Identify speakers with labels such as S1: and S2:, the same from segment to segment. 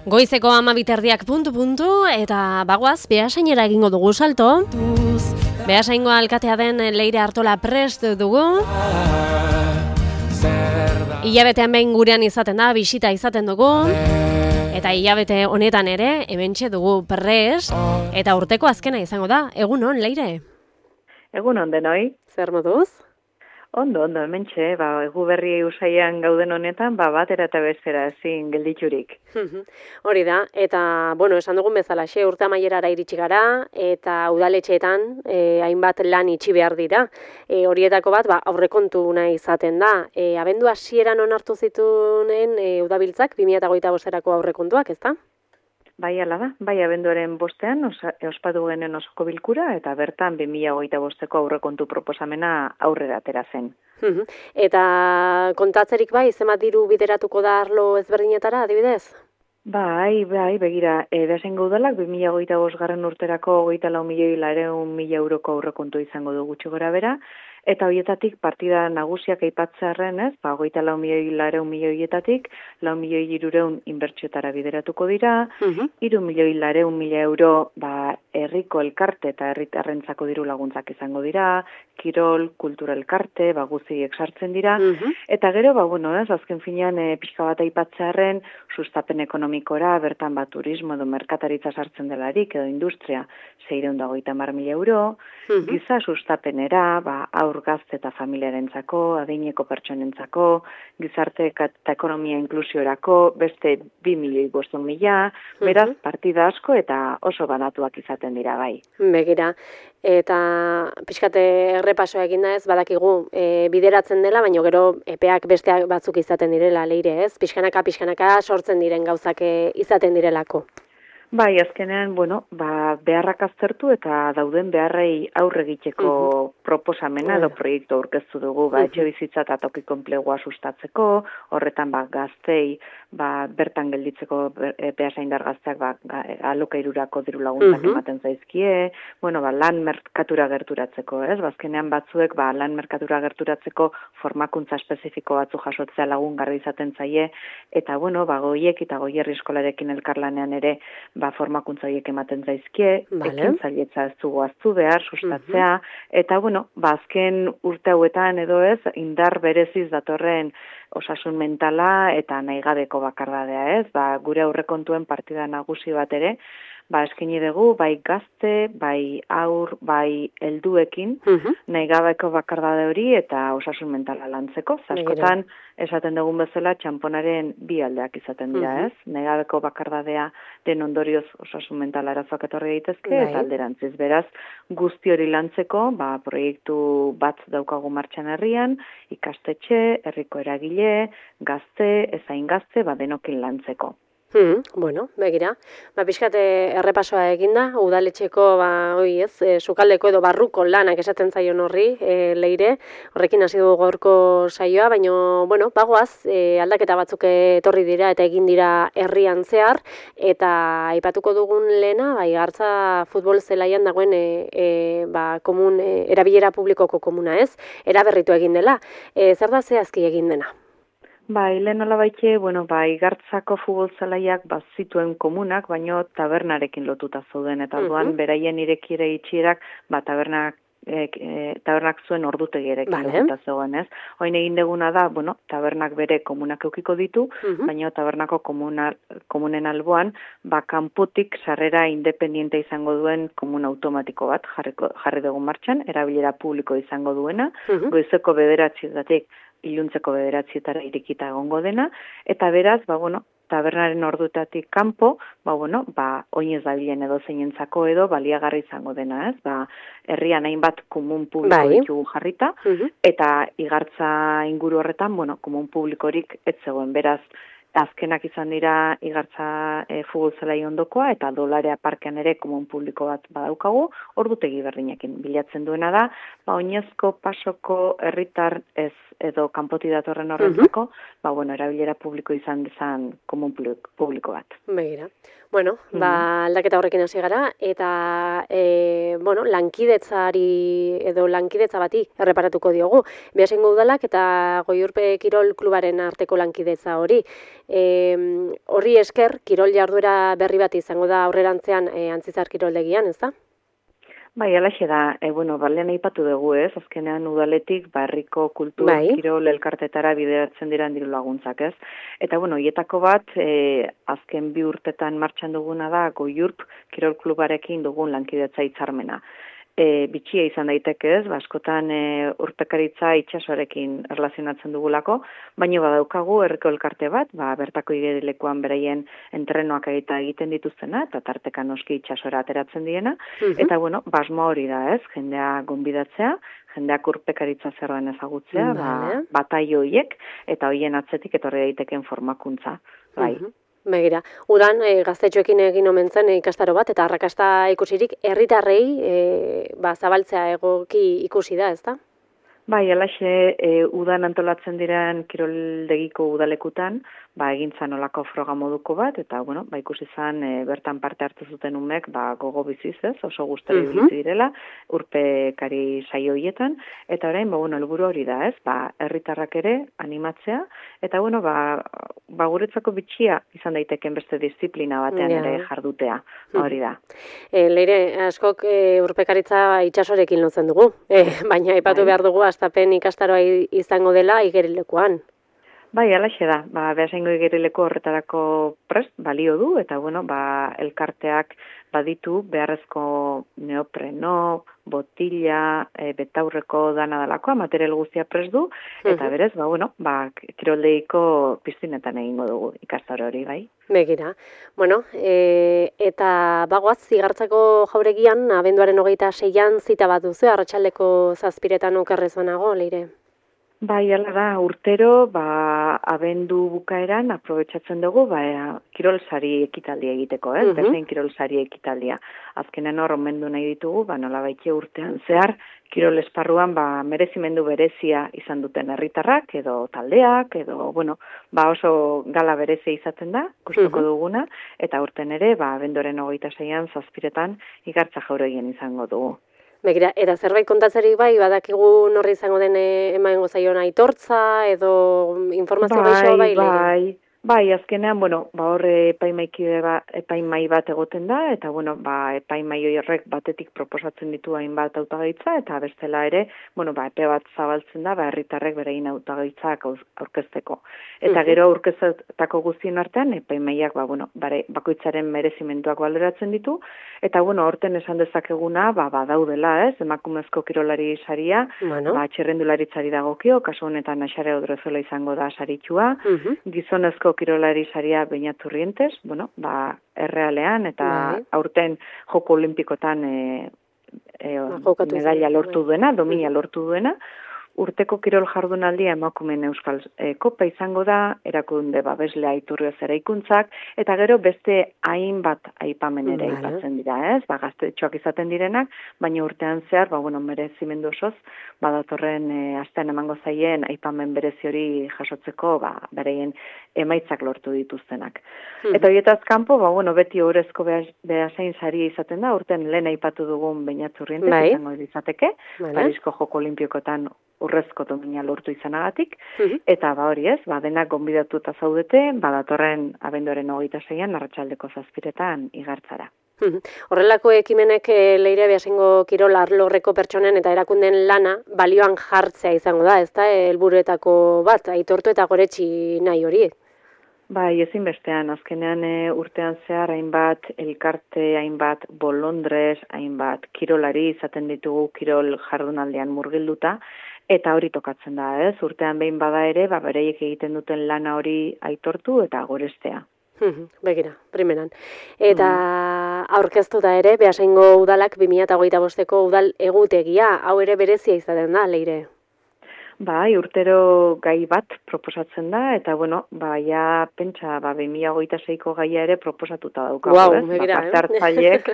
S1: Goizeko 12:00 puntu eta bagoaz Beasainera egingo dugu salto. Beasaingo alkatea den Leire Artola prest dugu. Hilabetean behin gurean izaten da, bisita izaten dugu. Eta hilabete honetan ere, hementxe dugu prest. Eta urteko azkena izango da. Egunon, Leire?
S2: Egunon denoi.
S1: Zer moduz?
S2: Ondo, hementxe, egu berri usaian gauden honetan, batera eta bestera ezin gelditurik.
S1: Hori da, eta, esan dugun bezalaxe, urte amaierara iritsi gara, eta udaletxeetan hainbat lan itxi behar dira. Horietako bat, aurrekontuna izaten da. Abendu hasieran onartu zitunen udabiltzak, 2025erako aurrekontuak, ezta?
S2: Bai, ala da. Bai, abenduaren bostean, ospatu genen osoko bilkura, eta bertan 2025eko aurrekontu proposamena aurrera atera zen.
S1: Eta kontatzerik bai, zenbat diru bideratuko da arlo ezberdinetara, adibidez?
S2: Bai, begira, Beasaingo udalak 2025 urterako 24.400.000 euroko aurrekontu izango du gutxi gora bera, eta horietatik partida nagusiak aipatzearren, 24.400.000 horietatik 4.300.000 inbertsiotara bideratuko dira, 3.400.000 euro herriko elkarte eta herritarrentzako diru laguntzak izango dira, kirol, kultura elkarte, guziek sartzen dira, eta gero, azken finean pixka bat aipatzearren, sustapen ekonomikora, bertan turismo edo merkataritza sartzen delarik, edo industria, 650.000 euro, giza sustapenera, aur gazte eta familiarentzako, adineko pertsonentzako, gizarte eta ekonomia inklusiorako, beste 2.500.000, beraz, partida asko eta oso banatuak izaten dira bai.
S1: Begira, eta pixkate errepasoa egin da ez, badakigu bideratzen dela, baina gero epeak besteak batzuk izaten direla, Leire, ez? Pixkanaka sortzen diren gauzak izaten direlako.
S2: Bai, azkenean, beharrak aztertu eta dauden beharrei aurre egiteko proposamena edo proiektu aurkeztu dugu, etxe bizitza eta tokiko enplegua sustatzeko, horretan gaztei bertan gelditzeko Beasaindar gazteak alokairurako diru laguntzak ematen zaizkie, lan merkatura gerturatzeko, ez? Azkenean batzuek lan merkatura gerturatzeko formakuntza espezifiko batzu jasotzea lagungarri izaten zaie, eta goiek eta goierri eskolarekin elkarlanean ere formakuntza horiek ematen zaizkie, ekintzailetza ez dugu aztu behar, sustatzea, eta azken urte hauetan edo ez, indar bereziz datorren osasun mentala eta nahigabeko bakardadea ez, gure aurrekontuen partida nagusi bat ere, eskini dugu, bai gazte, bai aur, bai helduekin, nahigabeko bakardade hori eta osasun mentala lantzeko. Askotan, esaten dugun bezala, txamponaren bi aldeak izaten dira, ez? Nahigabeko bakardadea den ondorioz osasun mentala arazoak etorri daitezke, eta alderantziz. Beraz, guzti hori lantzeko, proiektu bat daukagu martxan herrian, ikastetxe, herriko eragile, gazte, ezain gazte, denokin lantzeko.
S1: Begira. Pixkat errepasoa eginda, udaletxeko, sukaldeko edo barruko lanak esaten zaion horri, Leire, horrekin hasi dugu gaurko saioa, baina, bagoaz, aldaketa batzuk etorri dira eta egin dira herrian zehar, eta aipatuko dugun lehena, Igartza futbol zelaian dagoen erabilera publikoko komuna ez, eraberritu egin dela. Zer da zehazki egin dena?
S2: Lehen olabaitxe, Igartzako futbol zelaiak zituen komunak, baino tabernarekin lotuta zauden, eta orduan beraien irekiere itxierak, tabernak zuen ordutegierekin lotuta zegoen, ez? Hoin egin deguna da, tabernak bere komunak eukiko ditu, baina tabernako komunen alboan, kanpotik sarrera independiente izango duen komun automatiko bat jarri dugu martxan, erabilera publiko izango duena, goizeko 9:00 iluntzeko 9:00 irikita egongo dena, eta beraz, tabernaren ordutatik kanpo, oinez dabilen edo zeinentzako edo baliagarri izango dena, ez? Herrian hainbat komun publiko ditugu jarrita, eta Igartza inguru horretan, komun publikorik ez zegoen, beraz, azkenak izan dira Igartza futbol zelai ondokoa, eta Dolarea parkean ere komun publiko bat badaukagu, ordutegi berdinekin bilatzen duena da, oinezko pasoko herritar ez edo kanpoti datorren horrentzako, erabilera publiko izan dezan komun publiko bat.
S1: Begira. Aldaketa horrekin hasi gara, eta lankidetzari edo lankidetza bati erreparatuko diogu. Beasaingo udalak eta Goiurpe Kirol Klubaren arteko lankidetza hori. Horri esker, kirol jarduera berri bat izango da aurrerantzean Antzizar kiroldegian, ez da?
S2: Bai, alaxe da, balean aipatu dugu ez, azkenean udaletik herriko kultur kirol elkartetara bideratzen diren diru laguntzak ez. Eta hietako bat, azken 2 urtetan martxan duguna da Goiurp kirol klubarekin dugun lankidetza hitzarmena. Bitxia izan daiteke ez, askotan urpekaritza itsasoarekin erlazionatzen dugulako, baina badaukagu herriko elkarte bat, bertako igerilekuan beraien entrenoak egiten dituztena, eta tarteka noski itsasora ateratzen diena, eta basmoa hori da ez, jendea gonbidatzea, jendeak urpekaritza zer den ezagutzea, bataio horiek, eta horien atzetik etorri daiteken formakuntza, bai.
S1: Begira, udan gaztetxoekin egin omen zen ikastaro bat, eta arrakasta ikusirik herritarrei zabaltzea egoki ikusi da, ezta?
S2: Bai, alaxe, udan antolatzen diren kiroldegiko udalekutan, egintzan olako froga moduko bat, eta, ikusi zan bertan parte hartu zuten umek, gogo biziz ez, oso gustera ibilitzi direla, urpekari saio hietan, eta orain, helburu hori da ez, herritarrak ere animatzea, eta, guretzako bitxia izan daiteken beste disiplina batean ere jardutea, hori da.
S1: Leire, askok urpekaritza itsasorekin lotzen dugu, baina aipatu behar dugu astapen ikastaroa izango dela igerilekuan.
S2: Bai, alaxe da. Beasaingo igerileko horretarako prest balio du, eta elkarteak baditu beharrezko neopreno, botila, betaurreko dana dalakoa, material guztia prest du, eta berez, kiroldeiko piztinetan egingo dugu ikastaro hori, bai.
S1: Begira. Eta bagoaz, zigartzako jauregian, abenduaren 26an zita bat duzu, arratsaldeko 7:00 okerrezonago, Leire.
S2: Bai, ala da, urtero, abendu bukaeran aprobetxatzen dugu, kirolsari ekitaldia egiteko, berzein kirolsari ekitaldia. Azkenen hor, omendu nahi ditugu, nola baitxe urtean zehar, kirol esparruan, merezimendu berezia izan duten herritarrak, edo taldeak, edo, oso gala berezia izaten da, gustuko duguna, eta urten ere, abenduaren 26an 7:00 igartza jauregien izango dugu.
S1: Begira, eta zerbait kontatzerik badakigu norri izango den emango zaion aitortza, edo informazio gehiago
S2: Bai, azkenean, hor epaimai bat egoten da, eta, epaimai horrek batetik proposatzen ditu hainbat hautagaitza, eta bestela ere, epe bat zabaltzen da, herritarrek berein hautagaitzak aurkezteko. Eta gero aurkeztako guztien artean, epaimaiak, bakoitzaren merezimenduak baloratzen ditu, eta, horten esan dezakeguna, badaudela, emakumezko kirolari saria, txirrendularitzari dagokio, kasu honetan Axare Odrezola izango da saritxua, gizonezko kirolari saria Beñat Urrientes, errealean, eta aurten Joko Olimpikotan medalla lortu duena, domina lortu duena, urteko kirol jardunaldia emakumeen Euskal Kopa izango da, erakunde babeslea Iturrioz eraikuntzak, eta gero beste hainbat aipamen ere aipatzen dira, ez? Gaztetxoak izaten direnak, baina urtean zehar, merezimendu osoz, datorren astean emango zaien aipamen berezi hori jasotzeko, bereien emaitzak lortu dituztenak. Eta horietaz kanpo, beti horrezko behasain sari izaten da, urten lehen aipatu dugun Beñat Urrientes izango izateke, Parisko Joko Olimpikotan urrezko domina lortu izanagatik, eta hori ez, denak gonbidatuta zaudete, datorren abenduaren 26an arratsaldeko 7:00 igartzara.
S1: Horrelako ekimenek Leire Beasaingo kirol arlorreko pertsonen eta erakunden lana balioan jartzea izango da, ezta helburuetako bat, aitortu eta goretsi nahi horiek.
S2: Bai, ezinbestean, azkenean urtean zehar hainbat elkarte, hainbat bolondrez, hainbat kirolari izaten ditugu kirol jardunaldean murgilduta, eta hori tokatzen da, ez? Urtean behin bada ere, bereiek egiten duten lana hori aitortu eta gorestea.
S1: Begira, primeran. Eta aurkeztu da ere, Beasaingo udalak 2025ko udal egutegia, hau ere berezia izaten da, Leire.
S2: Bai, urtero gai bat proposatzen da, eta, pentsa, 2026ko gaia ere proposatuta daukagu, ez? Parte hartzaileek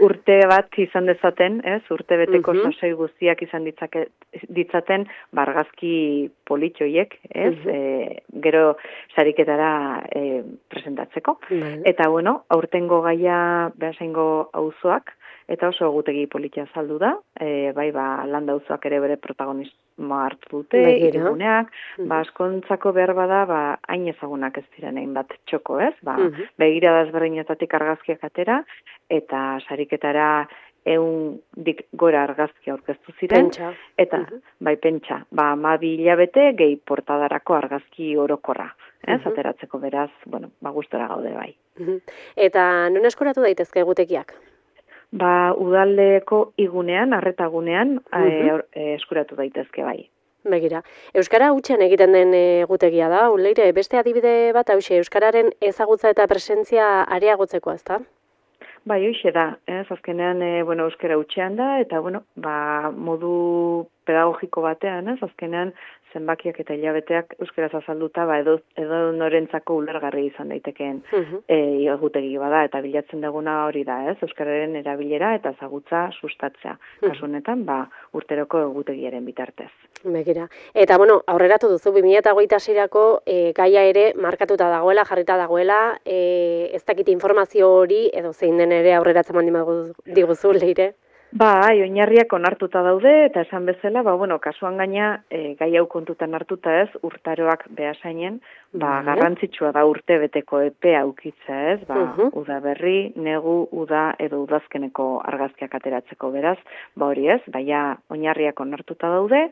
S2: urte bat izan dezaten, ez? Urte beteko sasoi guztiak izan ditzaten, argazki politxoiek, ez? Gero sariketara presentatzeko. Eta, aurtengo gaia Beasaingo auzoak, eta oso egutegi politia azaldu da, Landa auzoak ere bere hartu dute, iriguneak, askontzako behar bada, hain ezagunak ez diren hainbat txoko, ez? Begirada ezberdinetatik argazkiak atera, eta sariketara 100 gora argazki aurkeztu ziren, eta bai pentsa, 12 hilabete gehi portadarako argazki orokorra, ateratzeko beraz, gustora gaude bai.
S1: Eta non eskuratu daitezke egutegiak?
S2: Udaldeko igunean, arretagunean, eskuratu daitezke bai.
S1: Begira, Euskara hutsen egiten den egutegia da, Leire, beste adibide bat hauxe, Euskararen ezagutza eta presentzia areagotzeko, ezta?
S2: Bai, hoxe da, azkenean, Euskara hutsean da, eta, modu pedagogiko batean, azkenean, zenbakiak eta hilabeteak euskaraz azalduta, edo norentzako ulergarri izan daitekeen egutegi bada, eta bilatzen duguna hori da, euskararen erabilera eta ezagutza sustatzea. Kasu honetan, urteroko egutegiaren bitartez.
S1: Begira. Eta, aurreratu duzu, 2026-erako gaia ere markatuta dagoela, jarrita dagoela, ez dakit informazio hori, edo zein den ere aurreratzen mandi diguzu, Leire?
S2: Oinarriak onartuta daude, eta esan bezala, kasuan gaina, gai hau kontutan hartuta ez, urtaroak behasainen, garrantzitsua da urte beteko epea aukitza ez, uda berri, negu, uda edo udazkeneko argazkiak ateratzeko beraz, hori ez, oinarriak onartuta daude,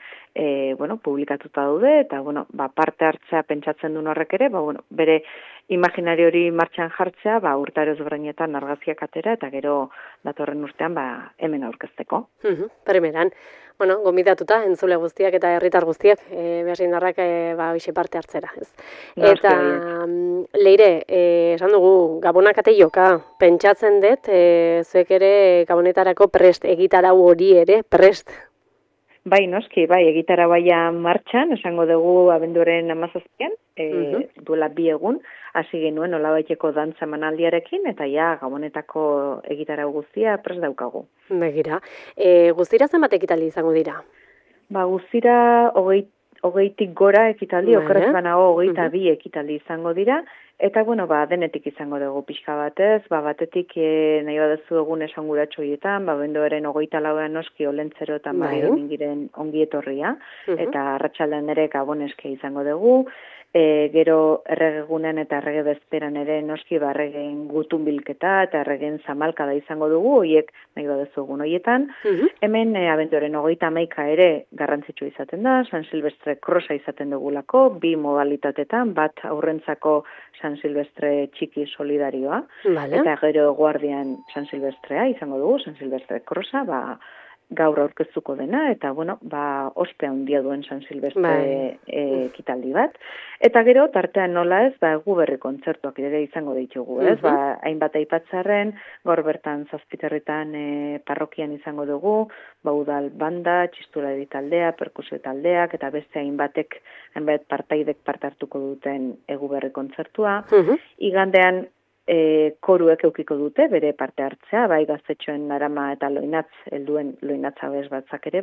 S2: publikatuta daude, eta, parte hartzea pentsatzen duen horrek ere, bere imaginari hori martxan jartzea, urtaro ezberdinetan argazkiak atera, eta gero datorren urtean, hemen aurkezteko.
S1: Primeran, gomidatuta, entzule guztiak eta herritar guztiak, behasindarrak hoxe parte hartzera. Eta, Leire, esan dugu, Gabonak ate joka, pentsatzen dut, zuek ere Gabonetarako prest, egitarau hori ere prest.
S2: Bai, noski, egitarau martxan, esango dugu abenduaren 17-an, duela 2 egun, hasi genuen olabaiteko dantza emanaldiarekin, eta Gabonetako egitarau guztia prest daukagu.
S1: Begira, guztira zenbat ekitaldi izango dira?
S2: Guztira 20tik gora ekitaldi, okerrez banago 22 ekitaldi izango dira, eta denetik izango dugu pixka batez, batetik nahi badezu egun esanguratxo hietan, bendoaren 24an noski olentzeroetan mingiren ongi etorria, eta arratsaldean ere Gaboneske izango dugu, gero erregegunean eta errege bezperan ere noski erregeen gutun bilketa eta erregeen zamalkada izango dugu, horiek nahi badezu egun horietan. Hemen abenduaren 31 ere garrantzitsua izaten da, San Silvestre krosa izaten dugulako, 2 modalitatetan, bat aurrentzako San Silvestre txiki solidarioa, eta gero guardian San Silvestrea izango dugu, San Silvestre krosa, gaur aurkeztuko dena, eta, ospea handia duen San Silvestre ekitaldi bat. Eta gero, tartean nola ez, egu berri kontzertuak ere izango ditugu, ez? Hainbat aipatzarren, gaur bertan Zazpiterritan parrokian izango dugu, udal banda, txistulari taldea, perkusio taldeak, eta beste hainbat partaidek parte hartuko duten egu berri kontzertua. Igandean, koruek eukiko dute, bere parte hartzea, gaztetxoen Arama eta Loinatz, helduen Loinatza bez batzak ere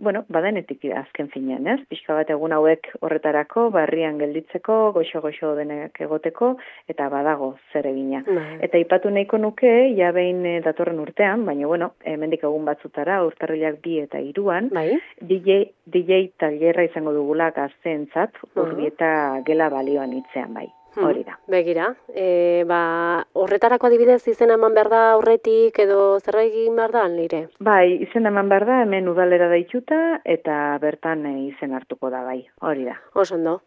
S2: badenetik azken finean, ez? Pixka bat egun hauek horretarako, barrian gelditzeko, goxo-goxo denek egoteko, eta badago zer egina. Eta ipatu nahiko nuke, behin datorren urtean, baina, hemendik egun batzutara, urtarrilak 2 eta 3an, DJ tailerra izango dugula gazteentzat, Urbieta gela balioan hitzean Hori da.
S1: Begira, horretarako adibidez izena eman behar da aurretik edo zerbait egin behar da, Leire?
S2: Izena eman behar da, hemen udalera daituta eta bertan izen hartuko da, hori da.
S1: Osondo.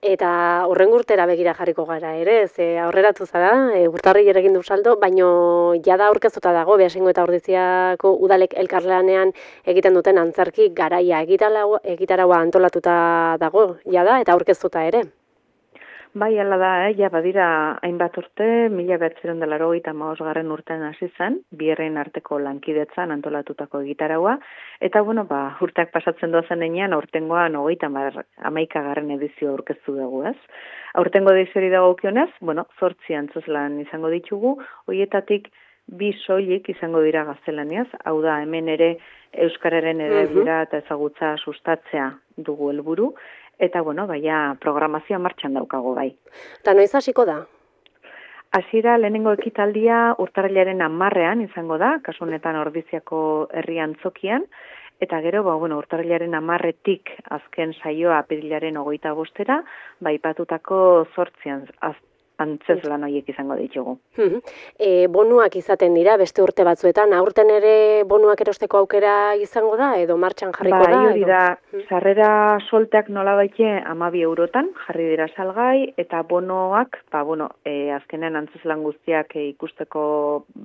S1: Eta hurrengo urtera begira jarriko gara ere, aurreratu zara, urtarri egin du saldo, baino jada aurkeztuta dago, Beasaingo eta Ordiziako udalek elkarlanean egiten duten antzerki garaia egitaraua antolatuta dago, jada, eta aurkeztuta ere.
S2: Hala da, badira hainbat urte, 1985 urtean hasi zen, bi herrien arteko lankidetzan antolatutako egitaraua, eta urteak pasatzen doazen enean, aurtengoan 31. edizio aurkeztu dugu, ez? Aurtengo ediziori dagokionez, 8 antzezlan izango ditugu, horietatik 2 soilik izango dira gaztelaniaz, hau da, hemen ere euskararen erabilera eta ezagutza sustatzea dugu helburu, eta, programazioa martxan daukago
S1: Eta noiz hasiko da?
S2: Hasiera lehenengo ekitaldia urtarrilaren 10ean izango da, kasu honetan Ordiziako herri antzokian, eta gero, urtarrilaren 10etik azken saioa apirilaren 25era, ipatutako 8 antzezlan horiek izango ditugu.
S1: Bonuak izaten dira beste urte batzuetan, aurten ere bonuak erosteko aukera izango da, edo martxan jarriko da?
S2: Hori da, sarrera solteak nolabaite 12 eurotan jarri dira salgai, eta bonoak, azkenean antzezlan guztiak ikusteko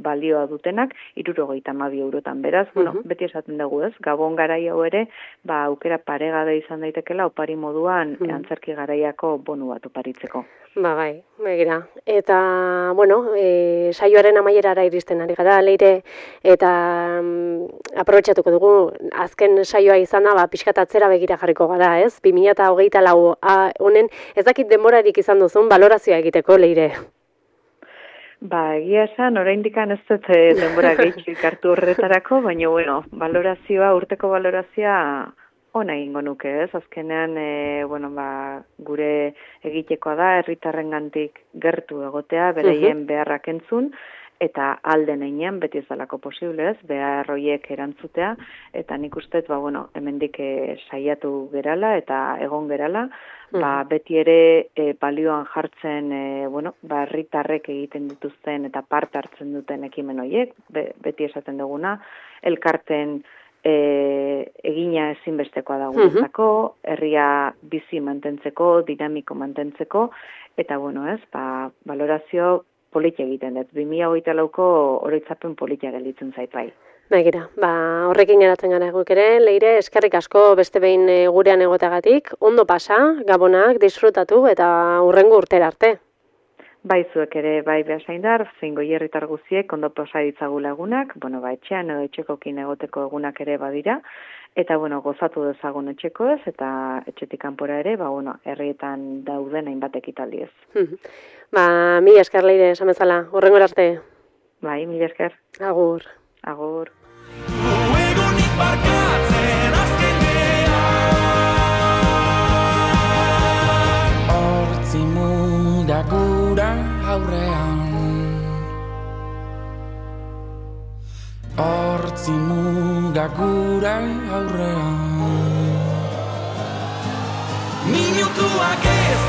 S2: balioa dutenak, 72 eurotan. Beraz, beti esaten dugu ez, Gabon garai hau ere, aukera paregade izan daitekela, opari moduan antzerki garaiako bonu bat oparitzeko.
S1: Bai, begira. Eta, saioaren amaierara iristen ari gara, Leire, eta aprobetxatuko dugu, azken saioa izan da, pixkat atzera begira jarriko gara, ez? 2024 honen, ez dakit denborarik izan duzun, balorazioa egiteko, Leire.
S2: Egia esan, oraindikan ez dut denbora gehitxik hartu horretarako, baina, urteko balorazioa, ona egingo nuke, ez? Azkenean, gure egitekoa da, herritarrengandik gertu egotea, bereien beharrak entzun, eta alden einean, beti ez dalako posible, ez? Behar horiek erantzutea, eta nik uste, hemendik saiatu gerala, eta egon gerala, beti ere balioan jartzen, herritarrek egiten dituzten, eta parte hartzen duten ekimen horiek, beti esaten duguna, elkarten egina ezinbestekoa da guretzako, herria bizi mantentzeko, dinamiko mantentzeko, eta balorazio politia egiten dut. 2024ko oroitzapen politia gelditzen zait bai.
S1: Begira, horrekin geratzen gara guk ere, Leire, eskerrik asko beste behin gurean egoteagatik, ondo pasa, Gabonak, disfrutatu eta hurrengo urtera arte.
S2: Zuek ere, behasaindar, zein goierritar guziek, ondo posa ditzagula egunak, etxean edo etxekokin egoteko egunak ere badira, eta, gozatu dezagun etxeko ez, eta etxetik kanpora ere, herrietan dauden hainbat ekitaldi ez.
S1: Mila esker, Leire, esan bezala, hurrengo arte.
S2: Mila esker.
S1: Agur.
S2: Agur.
S3: Gura aurrean Hortzi muga gura aurrean Minutuak ez